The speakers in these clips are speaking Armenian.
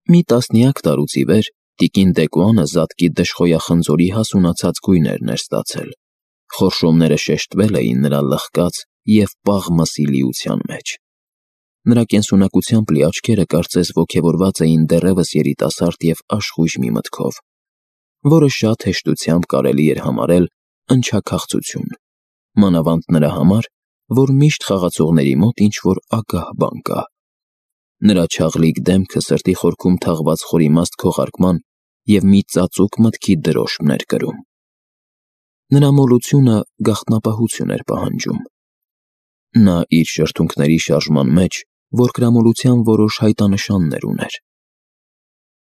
Մի տասնյակ տարուց ի վեր տիկին Դեկոյանը զատկի դժխոյախնձորի հասունացած գույներն էր ստացել, խորշոմները շեշտվել էին նրա լխկած և պաղ մսի լիության մեջ։ Նրա կենսունակությամբ լի աչքերը կարծես ոգևորված էին դեռևս երիտասարդ և աշխույժ մի մտքով, որը շատ հեշտությամբ կարելի էր համարել ընչաքաղցություն, մանավանդ նրա համար, որ միշտ խաղացողների մոտ ինչ-որ ագահ բան կա։ Նրա չաղլիկ դեմքը սրտի խորքում թաղված խորիմաստ քողարկման և մի ծածուկ մտքի դրոշմն էր կրում։ Նրա մոլությունը գաղտնապահություն էր պահանջում։ Նա իր շրթունքների շարժման մեջ որկրամոլության որոշ հայտանշաններ ուներ։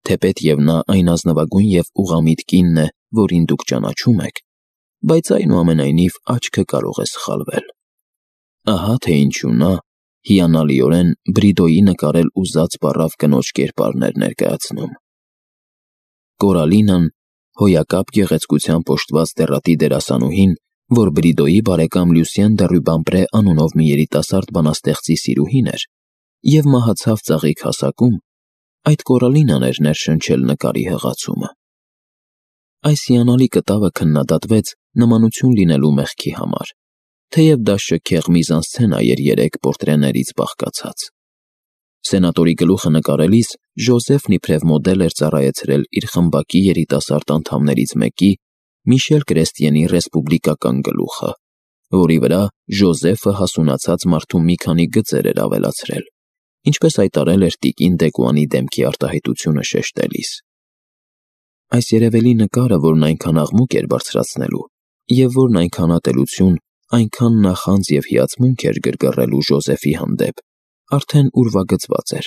Թեպետ և նա այն ազնվագույն և ուղղամիտ կինն է, որին դուք ճանաչում եք, բայց այնուամենայնիվ աչքը կարող է սխալվել։ Ահա թե ինչու նա հիանալիորեն Բրիդոյի նկարել ուզած բառավ կնոջ կերպարն էր ներկայացնում։ Կորալինան, հոյակապ գեղեցկությամբ օժտված դեռատի դերասանուհին, որ Բրիդոյի բարեկամ Լյուսիեն դը Ռյուբամպրե անունով մի երիտասարդ բանաստեղծի սիրուհին էր և մահացավ ծաղիկ հասակում, այդ Կորալինան էր ներշնչել նկարի հղացումը։ Այս հիանալի կտավը քննադատվեց նմանություն լինելու մեղքի համար, թեև դա շքեղ միզանսցենա էր 3 պորտրեներից բաղկացած։ Սենատորի գլուխը նկարելիս Ժոզեֆն իբրև մոդել էր ծառայեցրել իր խմբակի երիտասարդ անդամներից մեկի՝ Միշել Կրեստիենի ռեսպուբլիկական գլուխը, որի վրա Ժոզեֆը հասունացած մարդու մի քանի գծեր էր ավելացրել, ինչպես հայտարարել էր տիկին Դեկոյանի դեմքի արտահայտությունը շեշտելիս։ Այս երևելի նկարը, որն այնքան աղմուկ էր բարձրացնելու, և որն այնքան ատելություն, այնքան նախանձ և հիացմունք էր գրգռելու Ժոզեֆի հանդեպ, արդեն ուրվագծված էր,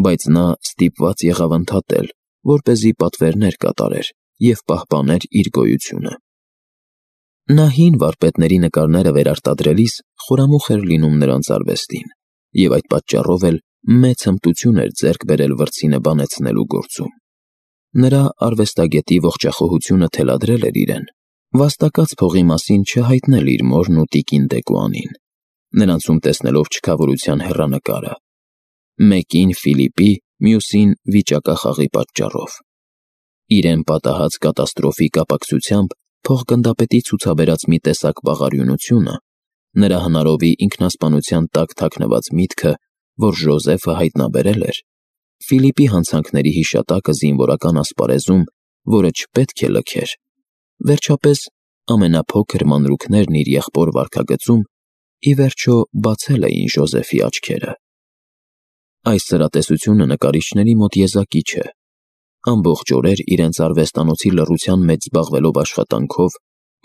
բայց նա ստիպված եղավ ընդհատել, որպեսզի պատվերներ կատարեր և պահպաներ իր գոյությունը։ Նա հին վարպետների նկարները վերարտադրելիս խորամուխ էր լինում նրանց արվեստին, և այդ պատճառով էլ մեծ հմտություն էր ձեռք բերել վրձինը բանեցնելու գործում։ Նրա արվեստագետի ողջախոհությունը թելադրել էր իրեն, վաստակած փողի մասին չհայտնել իր մորն ու տիկին Դեկոյանին, նրանցում տեսնելով չքավորության հեռանկարը, մեկին Ֆիլիպի, մյուսին վիճակախաղի պատճառով։ Իրեն պատահած կատաստրոֆի կապակցությամբ փոխգնդապետի ցուցաբերած մի տեսակ բաղարյունությունը, նրա հնարովի ինքնասպանության տակ թաքնված միտքը, որ Ժոզեֆը հայտնաբերել էր, Ֆիլիպի հանցանքների հիշատակը զինվորական ասպարեզում, որը չպետք է լքեր, վերջապես ամենափոքր մանրուքներն իր եղբոր վարքագծում ի վերջո բացել էին Ժոզեֆի աչքերը։ Այս սրատեսությունը նկարիչների մոտ եզակի չէ։ Ամբողջ օրեր իրենց արվեստանոցի լռության մեջ զբաղվելով աշխատանքով,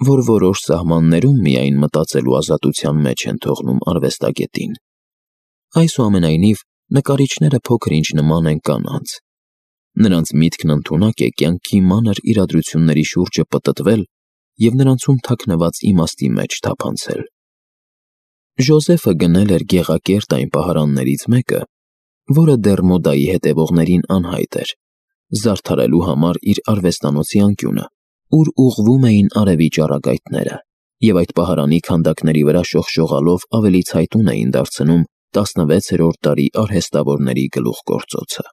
որ որոշ սահմաններում միայն մտածելու ազատության մեջ են թողնում արվեստագետին։ Այսուամենայնիվ, նկարիչները փոքր-ինչ նման են կանանց։ Նրանց միտքն ընդունակ է կյանքի մանր իրադրությունների շուրջը պտտվել և նրանցում թաքնված իմաստի մեջ թափանցել։ Ժոզեֆը գնել էր գեղակերտ այն պահարաններից մեկը, որը դեռ մոդայի հետևողներին անհայտ էր, զարդարելու համար իր արվեստանոցի անկյունը, ուր ուղղվում էին արևի ճառագայթները, և այդ պահարանի քանդակների վրա շողշողալով ավելի ցայտուն էին դարձնում 16-րդ դարի արհեստավորների գլուխգործոցը։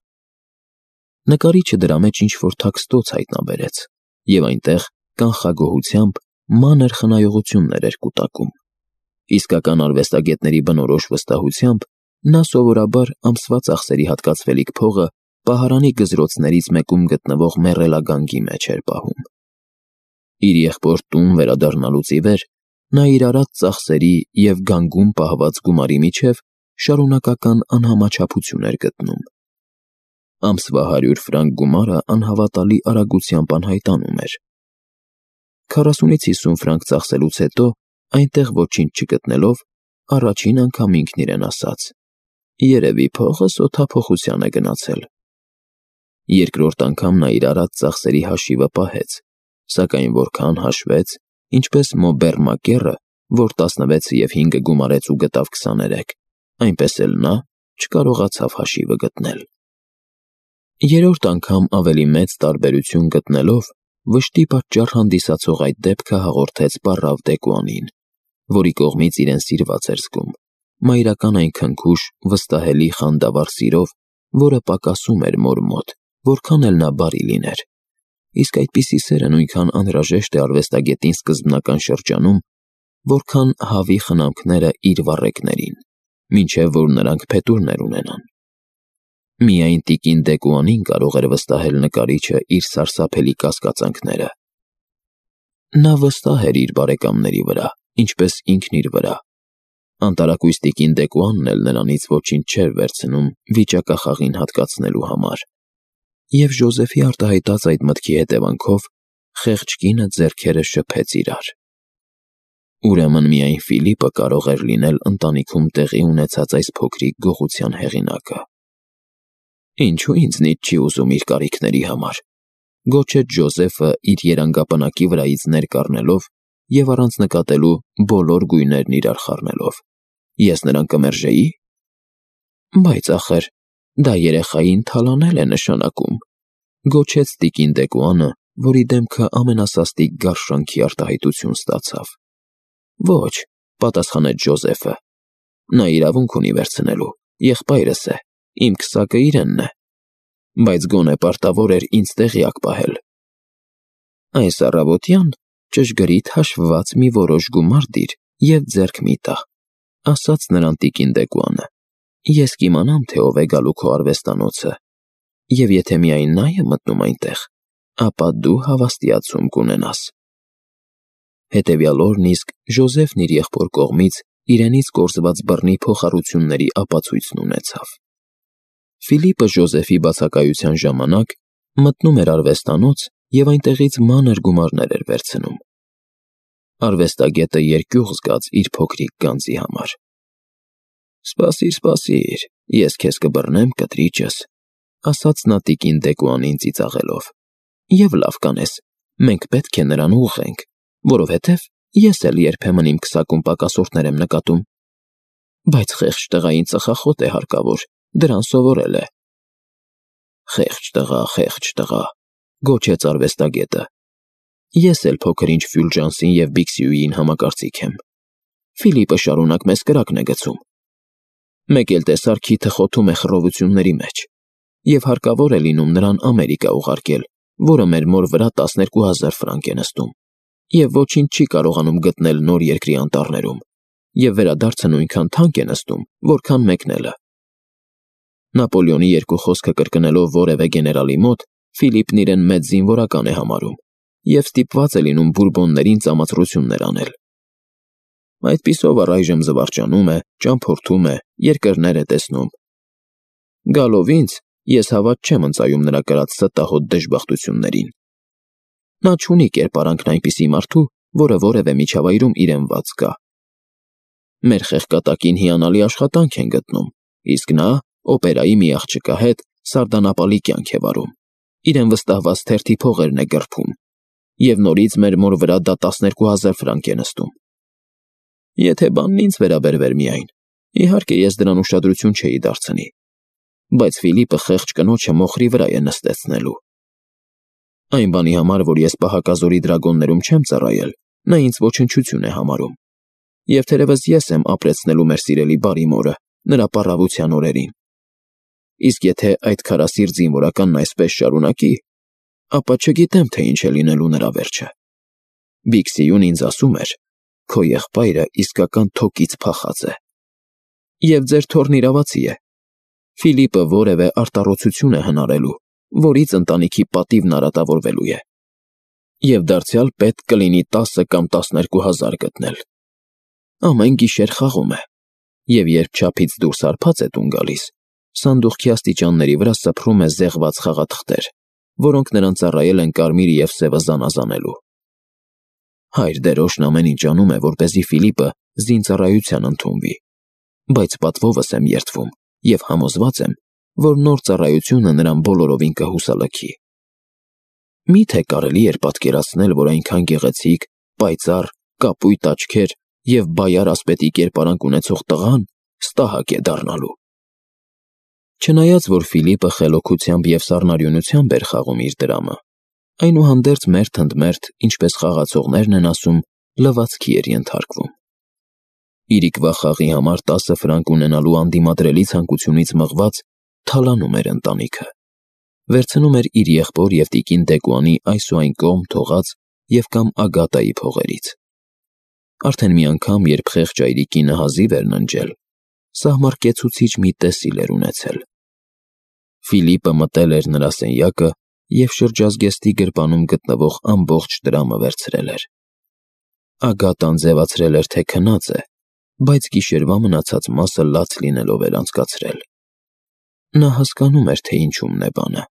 Նկարիչը դրա մեջ ինչ-որ թաքստոց հայտնաբերեց, և այնտեղ կանխագոհությամբ մանր խնայողություններ էր կուտակում։ Իսկական արվեստագետների բնորոշ վստահությամբ նա սովորաբար ամսվա ծախսերի հատկացվելիք փողը պահարանի գզրոցներից մեկում գտնվող մեռելագանգի մեջ էր պահում։ Իր եղբոր տուն վերադառնալուց ի վեր նա իր արած ծախսերի և գանգում պահված գումարի միջև շարունակական անհամաչափություն էր գտնում։ Ամսվա 100 ֆրանկ գումարը անհավատալի արագությամբ անհայտանում էր։ 40-ից 50 ֆրանկ ծախսելուց հետո, այնտեղ ոչինչ չգտնելով, առաջին անգամ ինքն իրեն ասաց. «Երևի փողս օդափոխության է գնացել»։ Երկրորդ անգամ նա իր արած ծախսերի հաշիվը պահեց, սակայն որքան հաշվեց, ինչպես Մոբեր Մակերը, որ 16 և 5-ը գումարեց ու գտավ 23, այնպես էլ նա չկարողացավ հաշիվը գտնել։ Երրորդ անգամ ավելի մեծ տարբերություն գտնելով, վշտի պատճառ հանդիսացող այդ դեպքը հաղորդեց պառավ Դեկոյանին, որի կողմից իրեն սիրված էր զգում, մայրական այն քնքուշ, վստահելի խանդավառ սիրով, որը պակասում էր մոր մոտ, որքան էլ նա բարի լիներ։ Իսկ այդպիսի սերը նույնքան անհրաժեշտ է արվեստագետին սկզբնական շրջանում, որքան հավի խնամքները իր վառեկներին, մինչև որ նրանք փետուրներ ունենան։ Միայն տիկին Դեկուանին կարող էր վստահել նկարիչը իր սարսափելի կասկածանքները։ Նա վստահ էր իր բարեկամների վրա, ինչպես ինքն իր վրա։ Անտարակույս տիկին Դեկուանն էլ նրանից ոչինչ չէր վերցնում վիճակախաղին հատկացնելու համար։ Եվ Ժոզեֆի արտահայտած այդ մտքի հետևանքով խեղճ կինը ձեռքերը շփեց իրար։ Ուրեմն միայն Ֆիլիպը կարող էր լինել ընտանիքում տեղի ունեցած այս փոքրիկ գողության հեղինակը։ Ինչու ինձնից չի ուզում իր կարիքների համար, գոչեց Ժոզեֆը իր երանգապնակի վրայից ներկ առնելով և առանց նկատելու բոլոր գույներն իրար խառնելով։ Ես նրան կմերժեի։ Բայց ախր, դա երեխային թալանել է նշանակում, գոչեց տիկին Դեկուանը, որի դեմքը ամենասաստիկ գարշանքի արտահայտություն ստացավ։ Ոչ, պատասխանեց Ժոզեֆը, նա իրավունք ունի վերցնելու, եղբայրս է, իմ քսակը իրենն է, բայց գոնե պարտավոր էր ինձ տեղյակ պահել։ Այս առավոտյան ճշգրիտ հաշվված մի որոշ գումար դիր և ձեռք մի տա, ասաց նրան տիկին Դեկուանը, ես կիմանամ, թե ով է գալու քո արվեստանոցը, և եթե միայն նա է մտնում այնտեղ, ապա դու հավաստիացում կունենաս։ Հետևյալ օրն իսկ Ժոզեֆն իր եղբոր կողմից իրենից կորզված բռնի փոխառությունների ապացույցն ունեցավ։ Ֆիլիպը Ժոզեֆի բացակայության ժամանակ մտնում էր արվեստանոց և այնտեղից մանր գումարներ էր վերցնում։ Արվեստագետը երկյուղ զգաց իր փոքրիկ գանձի համար։ Սպասիր, ես քեզ կբռնեմ, կտրիճս, ասաց նա տիկին Դեկուանին ծիծաղելով։ Եվ լավ կանես, մենք պետք է նրան ուղղենք, որովհետև ես էլ երբեմն իմ քսակում պակասորդներ եմ նկատում։ Բայց խեղճ տղային ծխախոտ է հարկավոր, դրան սովորել է։ Խեղճ տղա, գոչեց արվեստագետը։ Ես էլ փոքր-ինչ Ֆյուլժանսին և Բիքսիուին համակարծիք եմ։ Ֆիլիպը շարունակ մեզ կրակն է գցում։ Մեկ էլ տեսար քիթը խոթում է խռովությունների մեջ, և հարկավոր է լինում նրան Ամերիկա ուղարկել, որը մեր մոր վրա 12,000 ֆրանկ է նստում, և ոչինչ չի կարողանում գտնել նոր երկրի անտառներում, և վերադարձը նույնքան թանկ է նստում, որքան մեկնելը։ Նապոլեոնի երկու խոսքը կրկնելով որևէ գեներալի մոտ, Ֆիլիպն իրեն մեծ զինվորական է համարում և ստիպված է լինում բուրբոններին ծամացրություններ անել։ Այդպիսով առայժմ զվարճանում է, ճամփորդում է, երկրներ է տեսնում։ Գալով ինձ, ես հավատ չեմ ընծայում նրա կրած ստահոդ դժբախտություններին։ Նա չունի կերպարանքն այնպիսի մարդու, որը որևէ միջավայրում իրեն ված զգա։ Մեր խեղկատակին հիանալի աշխատանք են գտնում, իսկ նա օպերայի մի աղջկա հետ սարդանապալի կյանք է վարում, իրեն վստահված թերթի փողերն է գռփում, և նորից մեր մոր վրա դա 12,000 ֆրանկ է նստում։ Եթե բանն ինձ վերաբերվեր միայն, իհարկե ես դրան ուշադրություն չէի դարձնի, բայց Ֆիլիպը խեղճ կնոջը մոխրի վրա է նստեցնելու։ Այն բանի համար, որ ես պահակազորի դրագոններում չեմ ծառայել, նա ինձ ոչնչություն է համարում, և թերևս ես եմ ապրեցնելու մեր սիրելի բարի մորը նրա պառավության օրերին։ Իսկ եթե այդ քարասիրտ զինվորականն այսպես շարունակի, ապա չգիտեմ, թե ինչ է լինելու նրա վերջը։ Բիքսիուն ինձ ասում էր, քո եղբայրը իսկական թոկից փախած է։ Եվ ձեր թոռն իրավացի է։ Ֆիլիպը որևէ արտառոցություն է հնարելու, որից ընտանիքի պատիվն արատավորվելու է։ Եվ դարձյալ պետք կլինի 10 կամ 12,000 գտնել։ Ամեն գիշեր խաղում է, և երբ չափից դուրս հարբած է տուն գալիս, սանդուղքի աստիճանների վրա սփռում է զեղված խաղաթղթեր, որոնք նրան ծառայել են կարմիր և սևը զանազանելու։ Հայր դերոշն ամեն ինչ անում է, որպեսզի Ֆիլիպը զինծառայության ընդունվի, բայց պատվովս եմ երդվում և համոզված եմ, որ նոր ծառայությունը նրան բոլորովին կհուսալքի։ Մի՞թե կարելի էր պատկերացնել, որ այնքան գեղեցիկ, պայծառ, կապույտ աչքեր և բայար ասպետի կերպարանք ունեցող տղան ստահակ է դառնալու։ Չնայած որ Ֆիլիպը խելոքությամբ և սառնարյունությամբ էր խաղում իր դրամը, այնուհանդերձ մերթ ընդ մերթ, ինչպես խաղացողներն են ասում, լվացքի էր ենթարկվում։ Իրիկվա խաղի համար 10 ֆրանկ ունենալու անդիմադրելի ցանկությունից մղված, թալանում էր ընտանիքը, վերցնում էր իր եղբոր և տիկին Դեկուանի այս ու այն կողմ թողած և կամ Ագատայի փողերից։ Արդեն մի անգամ, երբ խեղճ այրիկինը հազիվ էր ննջել, սահմռկեցուցիչ մի տեսիլ էր ունեցել։ Ֆիլիպը մտել էր նրա սենյակը և շրջազգեստի գրպանում գտնվող ամբողջ տրամը վերցրել էր։ Ագատան ձևացրել էր, թե քնած է, բայց գիշերվա մնացած մասը լաց լինելով էր անցկացրել։ Նա հասկանում էր, թե ինչումն է բանը։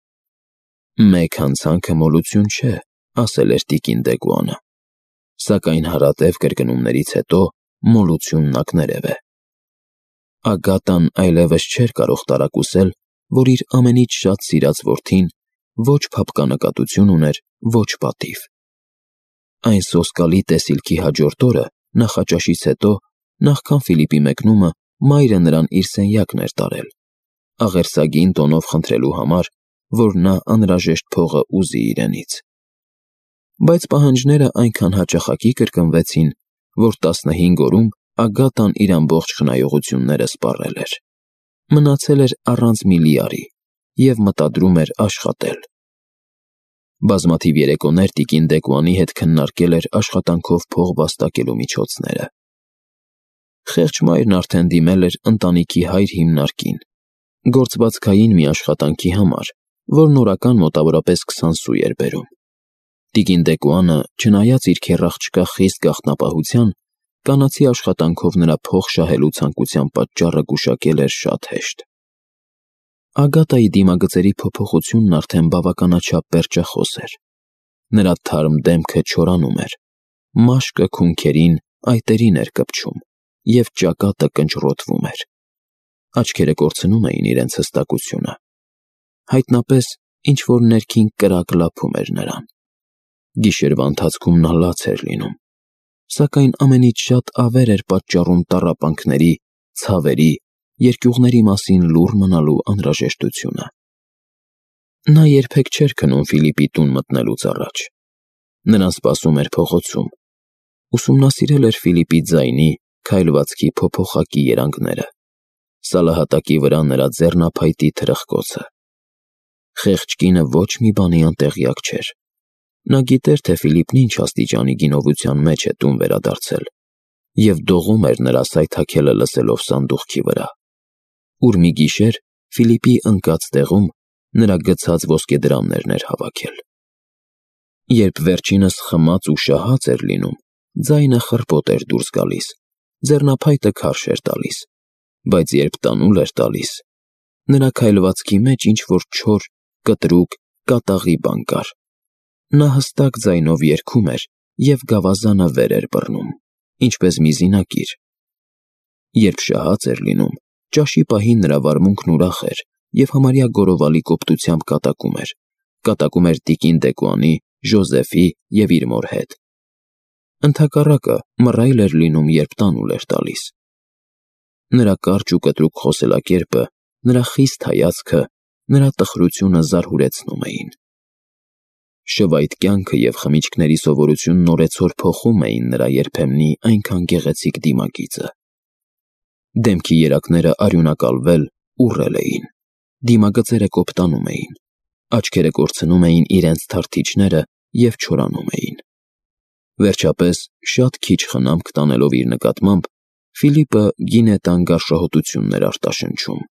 «Մեկ հանցանքը մոլություն չէ», ասել էր տիկին Դեկուանը, սակայն հարատև կրկնումներից հետո մոլությունն ակներև է։ Ագատան այլևս չէր կարող տարակուսել, որ իր ամենից շատ սիրած որդին ոչ փափկանկատություն ուներ, ոչ պատիվ։ Այն սոսկալի տեսիլքի հաջորդ օրը, նախաճաշից հետո, նախքան Ֆիլիպի մեկնումը, մայրը նրան իր սենյակն էր տարել, աղերսագին տոնով խնդրելու համար, որ նա անհրաժեշտ փողը ուզի իրենից։ Բայց պահանջները այնքան հաճախակի կրկնվեցին, որ 15 օրում Ագատան իր ամբողջ խնայողությունները սպառել էր։ Մնացել էր առանց մի լիարի և մտադրում էր աշխատել։ Բազմաթիվ երեկոներ տիկին Դեկուանի հետ քննարկել էր աշխատանքով փող վաստակելու միջոցները։ Խեղճ մայրն արդեն դիմել էր ընտանիքի հայր հիմնարկին, գործվածքային մի աշխատանքի համար, որն օրական մոտավորապես 20 սու էր բերում։ Տիկին Դեկուանը, չնայած իր քեռաղջկա խիստ գաղտնապահության, կանացի աշխատանքով նրա փող շահելու ցանկության պատճառը գուշակել էր շատ հեշտ։ Ագատայի դիմագծերի փոփոխությունն արդեն բավականաչափ պերճախոս էր։ Նրա թարմ դեմքը չորանում էր, մաշկը քունքերին, այտերին էր կպչում, և ճակատը կնճռոտվում էր։ Աչքերը կորցնում էին իրենց հստակությունը։ Հայտնապես ինչ-որ ներքին կրակ լափում էր նրան։ Գիշերվա ընթացքում նա լաց էր լինում, սակայն ամենից շատ ավեր էր պատճառում տառապանքների, ցավերի, երկյուղների մասին լուռ մնալու անհրաժեշտությունը։ Նա երբեք չէր քնում Ֆիլիպի տուն մտնելուց առաջ։ Նրան սպասում էր փողոցում։ Ուսումնասիրել էր Ֆիլիպի ձայնի, քայլվածքի փոփոխակի երանգները, սալահատակի վրա նրա ձեռնափայտի թրխկոցը։ Խեղճ կինը ոչ մի բանի անտեղյակ չէր։ Նա գիտեր, թե Ֆիլիպն ինչ աստիճանի գինովության մեջ է տուն վերադարձել, և դողում էր նրա սայթաքելը լսելով սանդուղքի վրա, ուր մի գիշեր Ֆիլիպի ընկած տեղում նրա գցած ոսկեդրամներն էր հավաքել։ Երբ վերջինս խմած ու շահած էր լինում, ձայնը խռպոտ էր դուրս գալիս, ձեռնափայտը քարշ էր տալիս, բայց երբ տանուլ էր տալիս, նրա քայլվածքի մեջ ինչ-որ չոր, կտրուկ, կատաղի բան կար։ Նա հստակ ձայնով երգում էր և գավազանը վեր էր բռնում, ինչպես մի զինակիր։ Երբ շահած էր լինում, ճաշի պահին նրա վարմունքն ուրախ էր և համարյա գորովալի կոպտությամբ կատակում էր տիկին Դեկուանի, Ժոզեֆի և իր մոր հետ։ Ընդհակառակը, մռայլ էր լինում, երբ տանուլ էր տալիս։ Նրա կարճ ու կտրուկ խոսելակերպը, նրա խիստ հայացքը, նրա տխրությունը զարհուրեցնում էին։ Շվայտ կյանքը և խմիչքների սովորությունն օրեցօր փոխում էին նրա երբեմնի այնքան գեղեցիկ դիմագիծը։ Դեմքի երակները արյունակալվել, ուռել էին, դիմագծերը կոպտանում էին, աչքերը կորցնում էին իրենց թարթիչները և չորանում էին։ Վերջապես, շատ քիչ խնամք տանելով իր նկատմամբ, Ֆիլիպը գինետան գարշահոտությունն էր արտաշնչում։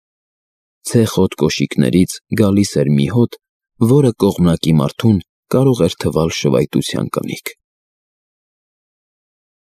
Ցեխոտ կոշիկներից գալիս էր մի հոտ, որը կողմնակի մարդուն կարող էր թվալ շվայտության կնիկ։